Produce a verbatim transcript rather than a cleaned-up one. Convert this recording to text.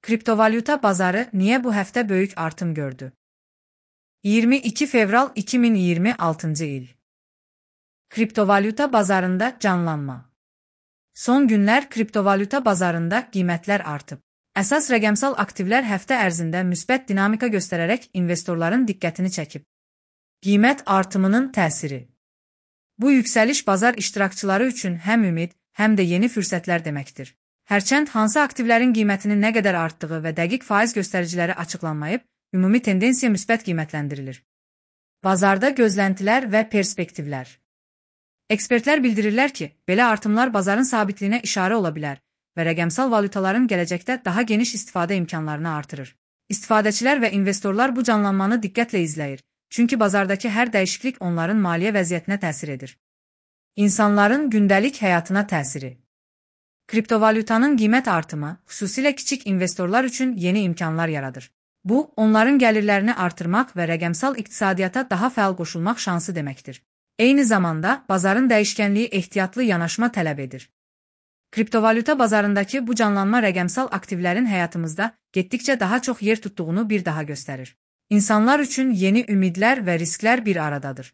Kriptovalyuta bazarı niye bu həftə böyük artım gördü? iyirmi iki fevral iki min iyirmi altıncı il. Kriptovalyuta bazarında canlanma. Son günlər kriptovalyuta bazarında qiymətlər artıb. Əsas rəqəmsal aktivlər həftə ərzində müsbət dinamika göstərərək investorların diqqətini çəkib. Qiymət artımının təsiri. Bu yüksəliş bazar iştirakçıları üçün həm ümid, həm də yeni fürsətlər deməkdir. Hərçənd hansı aktivlərin qiymətinin nə qədər artdığı və dəqiq faiz göstəriciləri açıqlanmayıb, ümumi tendensiya müsbət qiymətləndirilir. Bazarda gözləntilər və perspektivlər. Ekspertlər bildirirlər ki, belə artımlar bazarın sabitliyinə işarə ola bilər və rəqəmsal valyutaların gələcəkdə daha geniş istifadə imkanlarını artırır. İstifadəçilər və investorlar bu canlanmanı diqqətlə izləyir, çünki bazardakı hər dəyişiklik onların maliyyə vəziyyətinə təsir edir. İnsanların gündəlik həyatına təsiri. Kriptovalyutanın qiymət artımı, xüsusilə kiçik investorlar üçün yeni imkanlar yaradır. Bu, onların gəlirlərini artırmaq və rəqəmsal iqtisadiyyata daha fəal qoşulmaq şansı deməkdir. Eyni zamanda, bazarın dəyişkənliyi ehtiyatlı yanaşma tələb edir. Kriptovalyuta bazarındakı bu canlanma rəqəmsal aktivlərin həyatımızda getdikcə daha çox yer tutduğunu bir daha göstərir. İnsanlar üçün yeni ümidlər və risklər bir aradadır.